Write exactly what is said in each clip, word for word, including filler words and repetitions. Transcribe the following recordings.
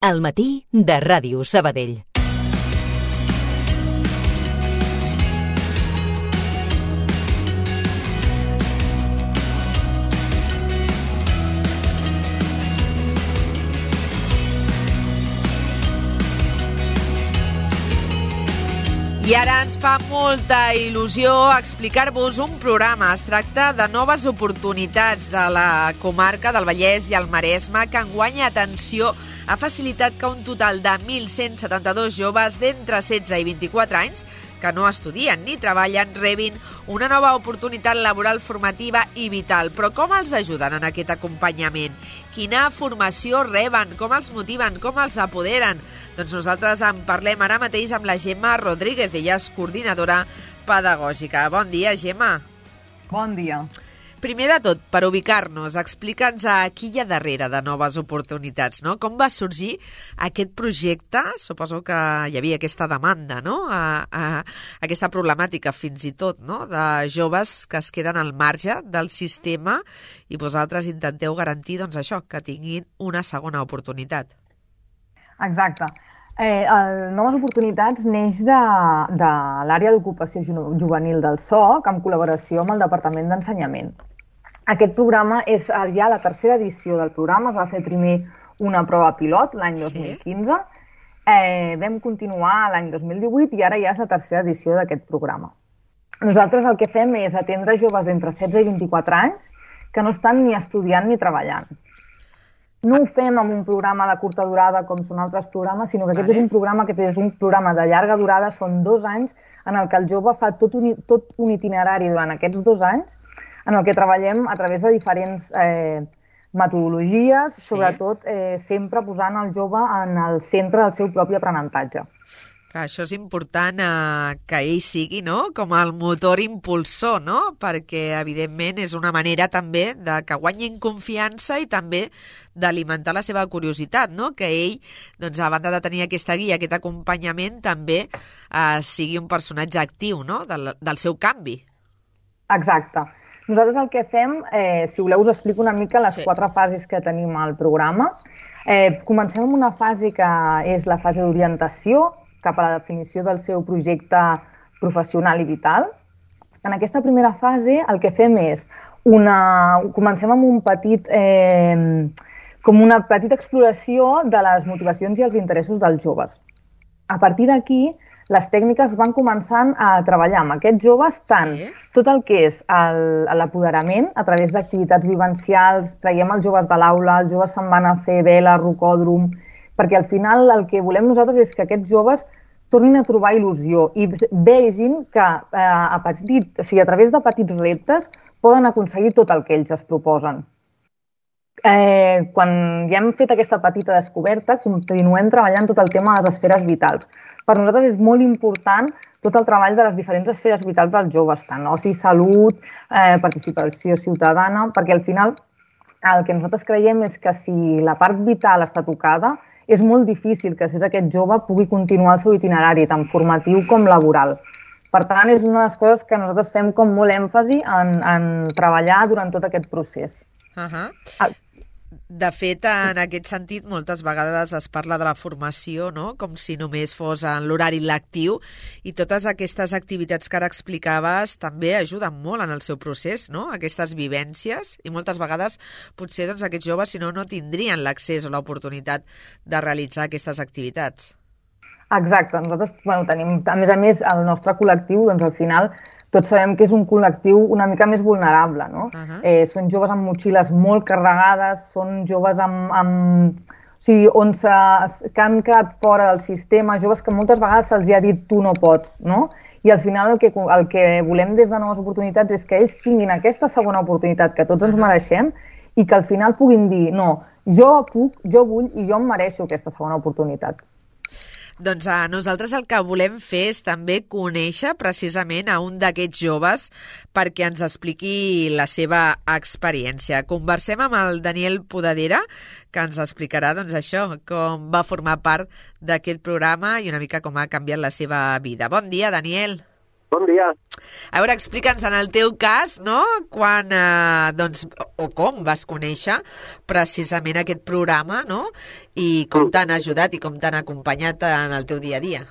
Al matí de Ràdio Sabadell. I ara ens fa molta il·lusió explicar-vos un programa. Es tracta de noves oportunitats de la comarca del Vallès i el Maresme, que enguany, atenció, ha facilitat que un total de mil cent setanta-dos joves d'entre setze i vint-i-quatre anys que no estudien ni treballen rebin una nova oportunitat laboral, formativa i vital. Però com els ajuden en aquest acompanyament? Quina formació reben? Com els motiven? Com els apoderen? Doncs nosaltres en parlem ara mateix amb la Gemma Rodríguez. Ella és coordinadora pedagògica. Bon dia, Gemma. Bon dia. Primer de tot, per ubicar-nos, explica'ns a qui hi ha darrere de noves oportunitats, no? Com va sorgir aquest projecte? Suposo que hi havia aquesta demanda, no? A, a, aquesta problemàtica, fins i tot, no? De joves que es queden al marge del sistema i vosaltres intenteu garantir, doncs, això, que tinguin una segona oportunitat. Exacte. Eh, el Noves Oportunitats neix de, de l'àrea d'ocupació juvenil del S O C en col·laboració amb el Departament d'Ensenyament. Aquest programa és ja la tercera edició del programa. Es va fer primer una prova pilot l'any dos mil quinze, eh, vam continuar l'any dos mil divuit i ara ja és la tercera edició d'aquest programa. Nosaltres el que fem és atendre joves d'entre setze i vint-i-quatre anys que no estan ni estudiant ni treballant. No ho fem amb un programa de curta durada com són altres programes, sinó que aquest vale. és un programa que és un programa de llarga durada, són dos anys en el que el jove fa tot un, tot un itinerari durant aquests dos anys en el que treballem a través de diferents eh, metodologies, sí. sobretot eh, sempre posant el jove en el centre del seu propi aprenentatge. Clar, això és important eh, que ell sigui, no?, com el motor impulsor, no?, perquè evidentment és una manera també de que guanyin confiança i també d'alimentar la seva curiositat, no?, que ell, doncs, a banda de tenir aquesta guia, aquest acompanyament, també eh, sigui un personatge actiu, no?, del, del seu canvi. Exacte. Nosaltres el que fem, eh, si voleu us explico una mica les sí. quatre fases que tenim al programa. Eh, comencem amb una fase que és la fase d'orientació, cap a la definició del seu projecte professional i vital. En aquesta primera fase el que fem és una... comencem amb un petit, eh, com una petita exploració de les motivacions i els interessos dels joves. A partir d'aquí, les tècniques van començant a treballar amb aquests joves tant sí. tot el que és l'apoderament a través d'activitats vivencials, traiem els joves de l'aula, els joves se'n van a fer vela, rocòdrom, perquè al final el que volem nosaltres és que aquests joves tornin a trobar il·lusió i vegin que eh, a, petit, o sigui, a través de petits reptes poden aconseguir tot el que ells es proposen. Eh, quan ja hem fet aquesta petita descoberta, continuem treballant tot el tema de les esferes vitals. Per nosaltres és molt important tot el treball de les diferents esferes vitals dels joves, tant oci, salut, eh, participació ciutadana, perquè al final el que nosaltres creiem és que si la part vital està tocada, és molt difícil que després aquest jove pugui continuar el seu itinerari, tant formatiu com laboral. Per tant, és una de les coses que nosaltres fem com molt èmfasi en, en treballar durant tot aquest procés. Uh-huh. Ah. De fet, en aquest sentit, moltes vegades es parla de la formació, no?, com si només fos en l'horari lectiu, i totes aquestes activitats que ara explicaves també ajuden molt en el seu procés, no?, aquestes vivències, i moltes vegades potser doncs, aquests joves, si no, no tindrien l'accés o l'oportunitat de realitzar aquestes activitats. Exacte. Nosaltres bueno, tenim, a més a més, el nostre col·lectiu, doncs al final, tots sabem que és un col·lectiu una mica més vulnerable, no? Uh-huh. eh, són joves amb motxilles molt carregades, són joves amb, amb, o sigui, on se, que han quedat fora del sistema, joves que moltes vegades se'ls ha dit tu no pots, no? I al final el que, el que volem des de Noves Oportunitats és que ells tinguin aquesta segona oportunitat que tots ens mereixem i que al final puguin dir no, jo puc, jo vull i jo em mereixo aquesta segona oportunitat. Doncs a nosaltres el que volem fer és també conèixer precisament a un d'aquests joves perquè ens expliqui la seva experiència. Conversem amb el Daniel Podadera, que ens explicarà doncs, això, com va formar part d'aquest programa i una mica com ha canviat la seva vida. Bon dia, Daniel. Bon dia. A veure, explica'ns en el teu cas, no?, quan, eh, doncs, o com vas conèixer precisament aquest programa, no?, i com Mm. t'han ajudat i com t'han acompanyat en el teu dia a dia.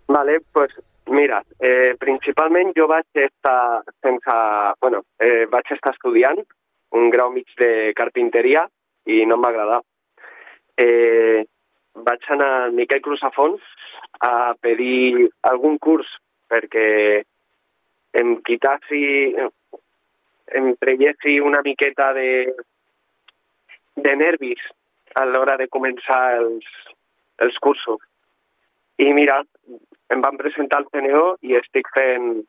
Vale, pues mira, eh, principalment jo vaig estar sense... Bueno, eh, vaig estar estudiant un grau mig de carpinteria i no em va agradar. Eh, vaig anar al Miquel Crusafons a pedir algun curs perquè em quitassi, em traiessi una miqueta de, de nervis a l'hora de començar els, els cursos. I mira, em van presentar al C N O i estic fent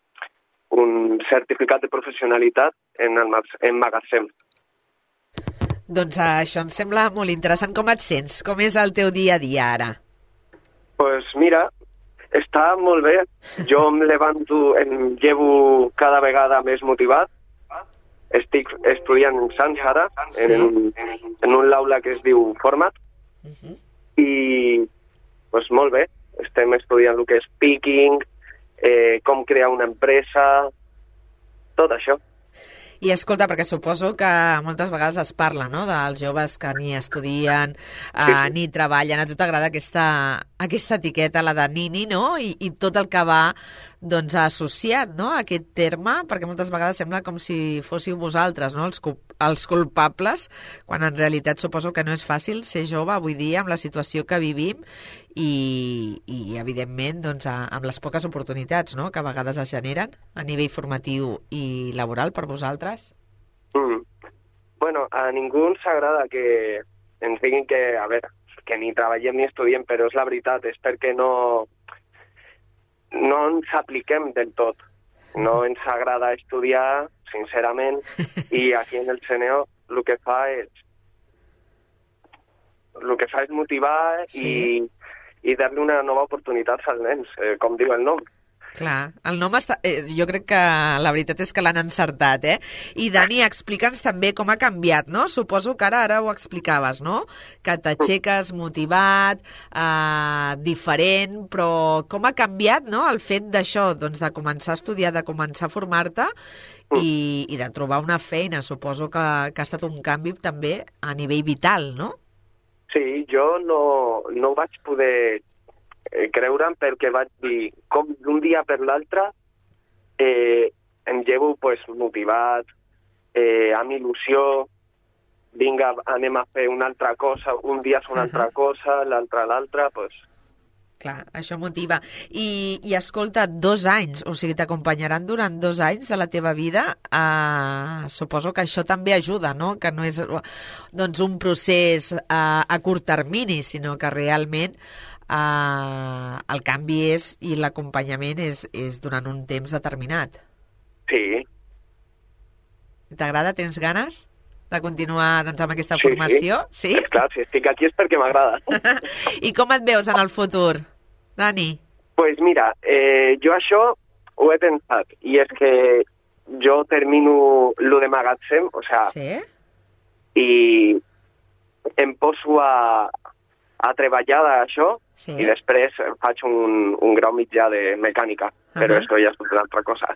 un certificat de professionalitat en el en magatzem. Doncs això em sembla molt interessant. Com et sents? Com és el teu dia a dia ara? Pues mira, està molt bé. Jo em levanto, em llevo cada vegada més motivat. Estic estudiant en Sants ara, en, en un aula que es diu Format. Uh-huh. I pues molt bé. Estem estudiant el que és picking, eh, com crear una empresa, tot això. I escolta, perquè suposo que moltes vegades es parla, no?, dels joves que ni estudien, eh, Sí, sí. ni treballen. A tu t'agrada aquesta, aquesta etiqueta, la de nini, no?, I, i tot el que va, doncs, associat, no?, a aquest terme, perquè moltes vegades sembla com si fóssiu vosaltres, no?, els, cu- els culpables, quan en realitat suposo que no és fàcil ser jove avui dia amb la situació que vivim i, i evidentment, doncs, a, amb les poques oportunitats, no?, que a vegades es generen a nivell formatiu i laboral per vosaltres. Mm. Bueno, a ningú ens agrada que ens diguin que, a veure, que ni treballem ni estudiem, però és la veritat, és perquè no, no ens apliquem del tot. No ens agrada estudiar, sincerament, i aquí en el C N O el que fa és el que fa és motivar Sí. i, i dar-li una nova oportunitat als nens, eh, com diu el nom. Clar, el nom està... Eh, jo crec que la veritat és que l'han encertat, eh? I Dani, explica'ns també com ha canviat, no? Suposo que ara ara ho explicaves, no? Que t'aixeques motivat, eh, diferent, però com ha canviat, no?, el fet d'això, doncs, de començar a estudiar, de començar a formar-te i, i de trobar una feina. Suposo que, que ha estat un canvi també a nivell vital, no? Sí, jo no, no vaig poder eh, creure'm perquè vaig dir, com d'un dia per l'altre eh, em llevo pues, motivat, eh, amb il·lusió, vinga, anem a fer una altra cosa, un dia és una altra cosa, l'altre l'altra, pues... Clar, això motiva. I, i escolta, dos anys, o sigui, t'acompanyaran durant dos anys de la teva vida. Uh, suposo que això també ajuda, no?, que no és doncs, un procés uh, a curt termini, sinó que realment uh, el canvi és i l'acompanyament és, és durant un temps determinat. Sí. T'agrada? Tens ganes de continuar doncs, amb aquesta Sí, formació? Sí? És clar, si estic aquí és perquè m'agrada. I com et veus en el futur, Dani? Pues mira, eh, jo això ho he pensat, i és que jo termino lo de magatzem, o sea, Sí? i em poso a, a treballar d'això, Sí. i després faig un, un grau mitjà de mecànica, però Ahà. això ja és una altra cosa.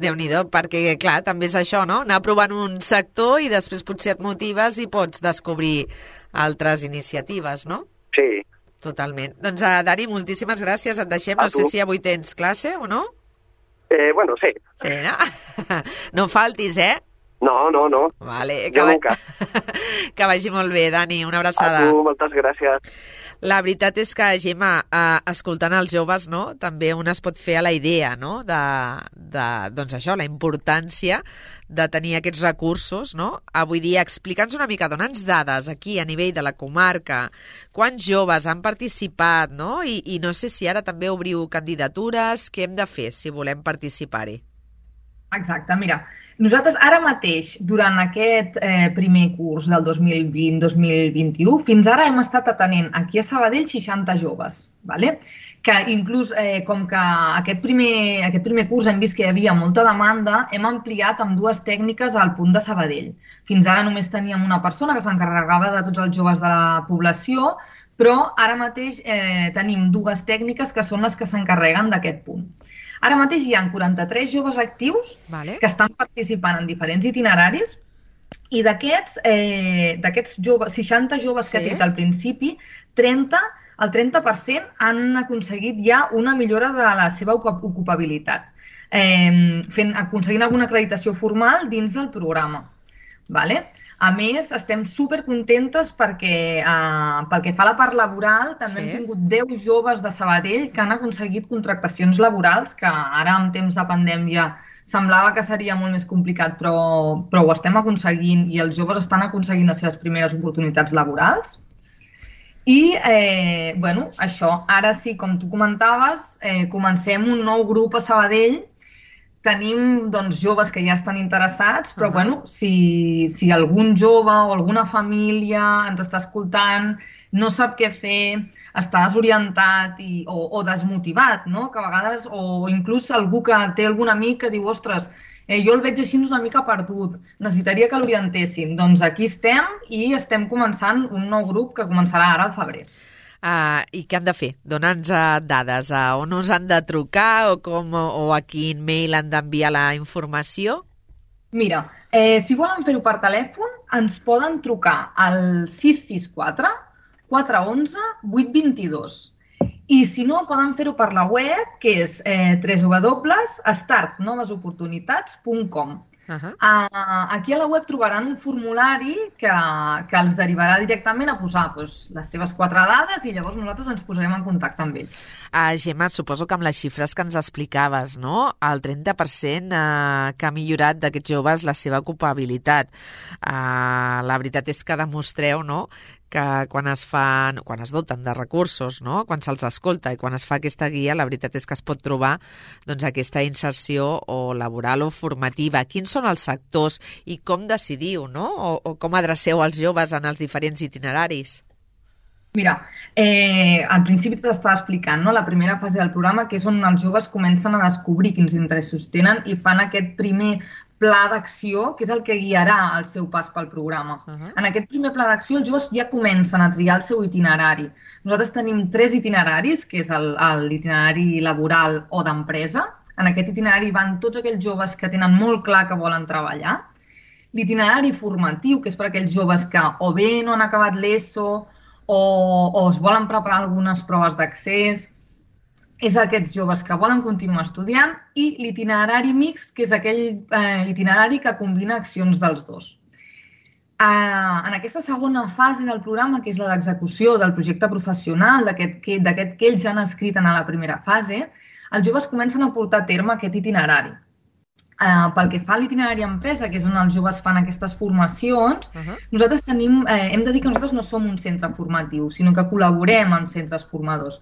Déu-n'hi-do, perquè, clar, també és això, no?, anar provant un sector i després potser et motives i pots descobrir altres iniciatives, no? Sí. Totalment. Doncs, uh, Dani, moltíssimes gràcies. Et deixem. A No sé tu. si avui tens classe o no. Eh, bueno, sí. Sí, no? No faltis, eh? No, no, no. Vale, Jo va- nunca. que vagi molt bé, Dani. Una A abraçada. tu, moltes gràcies. La veritat és que, Gemma, eh, escoltant els joves, no?, també un es pot fer a la idea, no?, de, de doncs això, la importància de tenir aquests recursos, no? Avui dia, explica'ns una mica, dona'ns dades aquí a nivell de la comarca, quants joves han participat, no? I, i no sé si ara també obriu candidatures, què hem de fer si volem participar-hi? Exacte, mira, nosaltres ara mateix, durant aquest eh, primer curs del dos mil vint dos mil vint-i-u, fins ara hem estat atenent aquí a Sabadell seixanta joves, ¿vale? Que inclús, eh, com que aquest primer, aquest primer curs hem vist que hi havia molta demanda, hem ampliat amb dues tècniques al punt de Sabadell. Fins ara només teníem una persona que s'encarregava de tots els joves de la població, però ara mateix eh, tenim dues tècniques que són les que s'encarreguen d'aquest punt. Ara mateix hi ha quaranta-tres joves actius Vale. que estan participant en diferents itineraris i d'aquests eh, d'aquests joves, seixanta joves Sí. que he tret al principi, trenta, el trenta per cent han aconseguit ja una millora de la seva ocu- ocupabilitat, eh, fent, aconseguint alguna acreditació formal dins del programa. Vale? A més, estem supercontentes perquè eh, pel que fa a la part laboral també Sí. hem tingut deu joves de Sabadell que han aconseguit contractacions laborals, que ara en temps de pandèmia semblava que seria molt més complicat, però, però ho estem aconseguint i els joves estan aconseguint les seves primeres oportunitats laborals. I, eh, bueno, això, ara sí, com tu comentaves, eh, comencem un nou grup a Sabadell. Tenim doncs, joves que ja estan interessats, però Uh-huh. bueno, si, si algun jove o alguna família ens està escoltant, no sap què fer, està desorientat i, o, o desmotivat, no? Que a vegades, o inclús algú que té algun amic que diu, ostres, eh, jo el veig així una mica perdut, necessitaria que l'orientessin. Doncs aquí estem i estem començant un nou grup que començarà ara al febrer. Uh, I què han de fer? Dona'ns uh, dades. A on us han de trucar o, com, o a quin mail han d'enviar la informació? Mira, eh, si volen fer-ho per telèfon, ens poden trucar al sis sis quatre, quatre onze, vuit dos dos. I si no, poden fer-ho per la web, que és eh, w w w punt start noves oportunitats punt com. Uh-huh. Uh, aquí a la web trobaran un formulari que, que els derivarà directament a posar doncs, les seves quatre dades i llavors nosaltres ens posarem en contacte amb ells. Uh, Gemma, suposo que amb les xifres que ens explicaves, no? El trenta per cent uh, que ha millorat d'aquests joves la seva ocupabilitat. Uh, la veritat és que demostreu, no?, que quan es fan, quan es doten de recursos, no?, quan se'ls escolta i quan es fa aquesta guia, la veritat és que es pot trobar doncs, aquesta inserció o laboral o formativa. Quins són els sectors i com decidiu, no?, o, o com adreceu els joves en els diferents itineraris? Mira, eh, al principi t'estava explicant, no?, la primera fase del programa, que és on els joves comencen a descobrir quins interessos tenen i fan aquest primer pla d'acció, que és el que guiarà el seu pas pel programa. Uh-huh. En aquest primer pla d'acció, els joves ja comencen a triar el seu itinerari. Nosaltres tenim tres itineraris, que és el- el- l'itinerari laboral o d'empresa. En aquest itinerari van tots aquells joves que tenen molt clar que volen treballar. L'itinerari formatiu, que és per a aquells joves que o bé no han acabat l'ESO o, o es volen preparar algunes proves d'accés, és aquests joves que volen continuar estudiant, i l'itinerari mixt, que és aquell eh, itinerari que combina accions dels dos. Eh, en aquesta segona fase del programa, que és la d'execució del projecte professional, d'aquest que, d'aquest que ells ja han escrit en la primera fase, els joves comencen a portar a terme aquest itinerari. Eh, pel que fa a l'itinerari empresa, que és on els joves fan aquestes formacions, Uh-huh. nosaltres tenim, eh, hem de dir que nosaltres no som un centre formatiu, sinó que col·laborem amb centres formadors.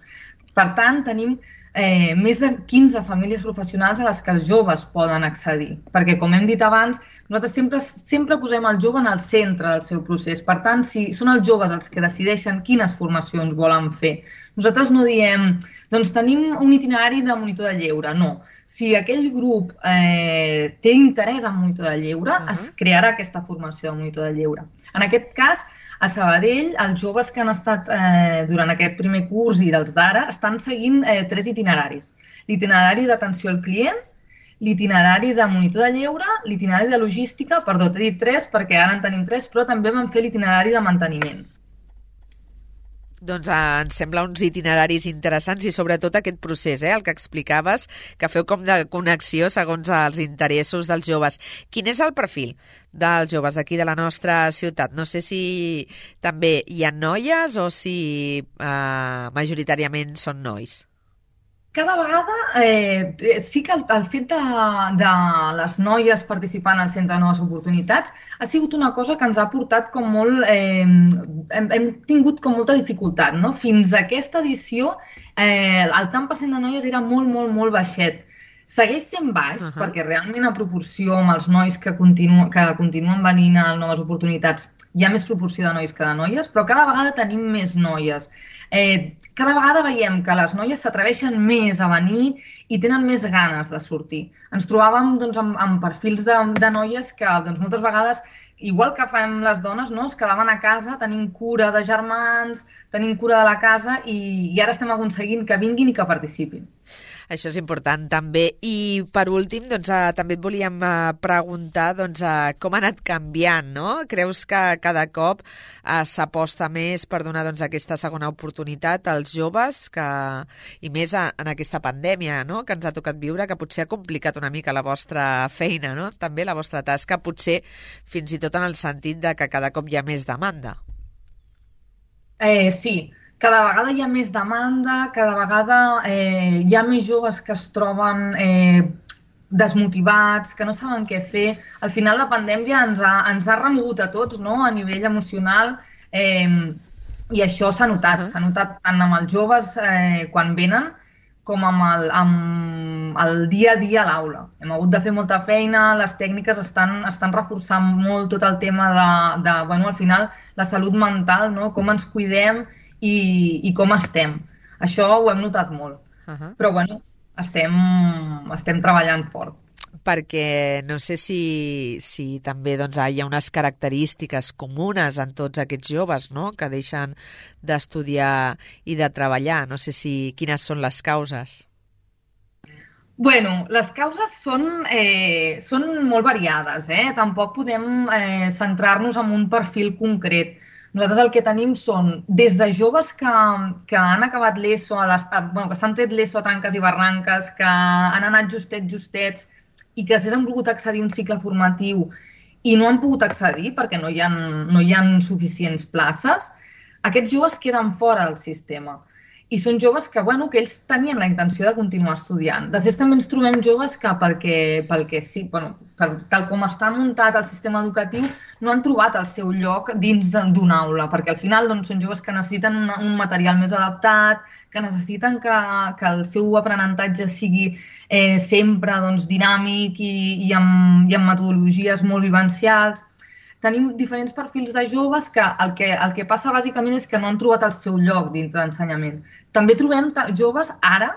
Per tant, tenim eh, més de quinze famílies professionals a les que els joves poden accedir, perquè, com hem dit abans, nosaltres sempre, sempre posem el jove en el centre del seu procés. Per tant, si són els joves els que decideixen quines formacions volen fer, nosaltres no diem, doncs tenim un itinerari de monitor de lleure, no. Si aquell grup eh, té interès en monitor de lleure, Uh-huh. es crearà aquesta formació de monitor de lleure. En aquest cas, a Sabadell, els joves que han estat eh, durant aquest primer curs i dels d'ara estan seguint eh, tres itineraris. L'itinerari d'atenció al client, l'itinerari de monitor de lleure, l'itinerari de logística, perdó, t'he dit tres perquè ara en tenim tres, però també vam fer l'itinerari de manteniment. Doncs eh, ens sembla uns itineraris interessants i sobretot aquest procés, eh, el que explicaves, que feu com de connexió segons els interessos dels joves. Quin és el perfil dels joves d'aquí de la nostra ciutat? No sé si també hi ha noies o si eh, majoritàriament són nois. Cada vegada eh, sí que el, el fet de, de les noies participant al Centre de Noves Oportunitats ha sigut una cosa que ens ha portat com molt... Eh, hem, hem tingut com molta dificultat, no? Fins a aquesta edició eh, el tant per cent de noies era molt, molt, molt baixet. Segueix sent baix, Uh-huh. perquè realment a proporció amb els nois que, continu, que continuen venint a Noves Oportunitats hi ha més proporció de nois que de noies, però cada vegada tenim més noies. Eh, cada vegada veiem que les noies s'atreveixen més a venir i tenen més ganes de sortir. Ens trobàvem doncs, amb, amb perfils de, de noies que doncs, moltes vegades, igual que fem les dones, no? Es quedaven a casa tenint cura de germans, tenint cura de la casa i, i ara estem aconseguint que vinguin i que participin. Això és important també. I per últim, doncs, eh, també et volíem eh, preguntar doncs, eh, com ha anat canviant, no? Creus que cada cop eh, s'aposta més per donar doncs, aquesta segona oportunitat als joves, que, i més a, en aquesta pandèmia, no?, que ens ha tocat viure, que potser ha complicat una mica la vostra feina, no?, també la vostra tasca, potser fins i tot en el sentit de que cada cop hi ha més demanda. Eh, sí, cada vegada hi ha més demanda, cada vegada eh, hi ha més joves que es troben eh, desmotivats, que no saben què fer. Al final la pandèmia ens ha, ens ha remogut a tots, no?, a nivell emocional, eh, i això s'ha notat. Uh-huh. S'ha notat tant amb els joves eh, quan venen com amb el, amb el dia a dia a l'aula. Hem hagut de fer molta feina, les tècniques estan, estan reforçant molt tot el tema de, de bueno, al final, la salut mental, no?, com ens cuidem i, i com estem. Això ho hem notat molt. Uh-huh. Però, bueno, estem, estem treballant fort. Perquè no sé si, si també doncs, hi ha unes característiques comunes en tots aquests joves, no?, que deixen d'estudiar i de treballar. No sé si quines són les causes. Bueno, les causes són, eh, són molt variades, eh? Tampoc podem eh, centrar-nos en un perfil concret. Nosaltres el que tenim són des de joves que, que han acabat l'ESO, a l'estat, bueno, que s'han tret l'ESO a tranques i barranques, que han anat justets, justets, i que s'han volgut accedir a un cicle formatiu i no han pogut accedir perquè no hi ha, no hi ha suficients places, aquests joves queden fora del sistema. I són joves que, bueno, que ells tenien la intenció de continuar estudiant. Després també ens trobem joves que, perquè, perquè sí, bueno, per, tal com està muntat el sistema educatiu, no han trobat el seu lloc dins d'una aula, perquè al final doncs, són joves que necessiten un, un material més adaptat, que necessiten que, que el seu aprenentatge sigui eh, sempre doncs, dinàmic i, i, amb, i amb metodologies molt vivencials. Tenim diferents perfils de joves que el, que el que passa bàsicament és que no han trobat el seu lloc dintre l'ensenyament. També trobem joves ara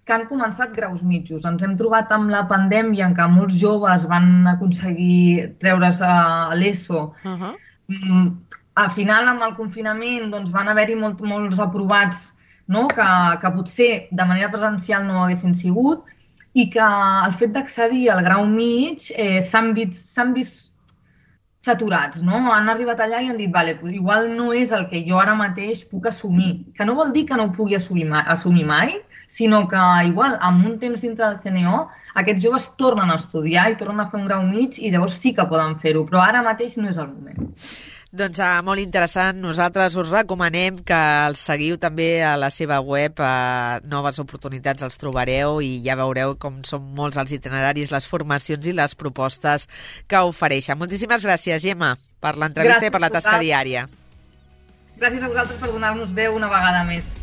que han començat graus mitjos. Ens hem trobat amb la pandèmia en què molts joves van aconseguir treure's a l'ESO. Uh-huh. Mm, al final, amb el confinament, doncs, van haver-hi molt, molts aprovats, no?, que, que potser de manera presencial no haguessin sigut i que el fet d'accedir al grau mig eh, s'han vist, s'han vist saturats, no? Han arribat allà i han dit, vale, pues igual no és el que jo ara mateix puc assumir. Que no vol dir que no ho pugui assumir mai, assumir mai, sinó que igual amb un temps dintre del C N O aquests joves tornen a estudiar i tornen a fer un grau mig i llavors sí que poden fer-ho, però ara mateix no és el moment. Doncs uh, molt interessant. Nosaltres us recomanem que el seguiu també a la seva web. Uh, noves oportunitats els trobareu i ja veureu com són molts els itineraris, les formacions i les propostes que ofereixen. Moltíssimes gràcies, Gemma, per l'entrevista i per la tasca diària. Gràcies a vosaltres per donar-nos veu una vegada més.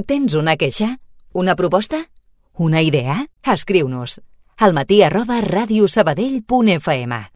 Tens una queixa? Una proposta? Una idea? Escriu-nos al matí arroba radiosabadell punt f m.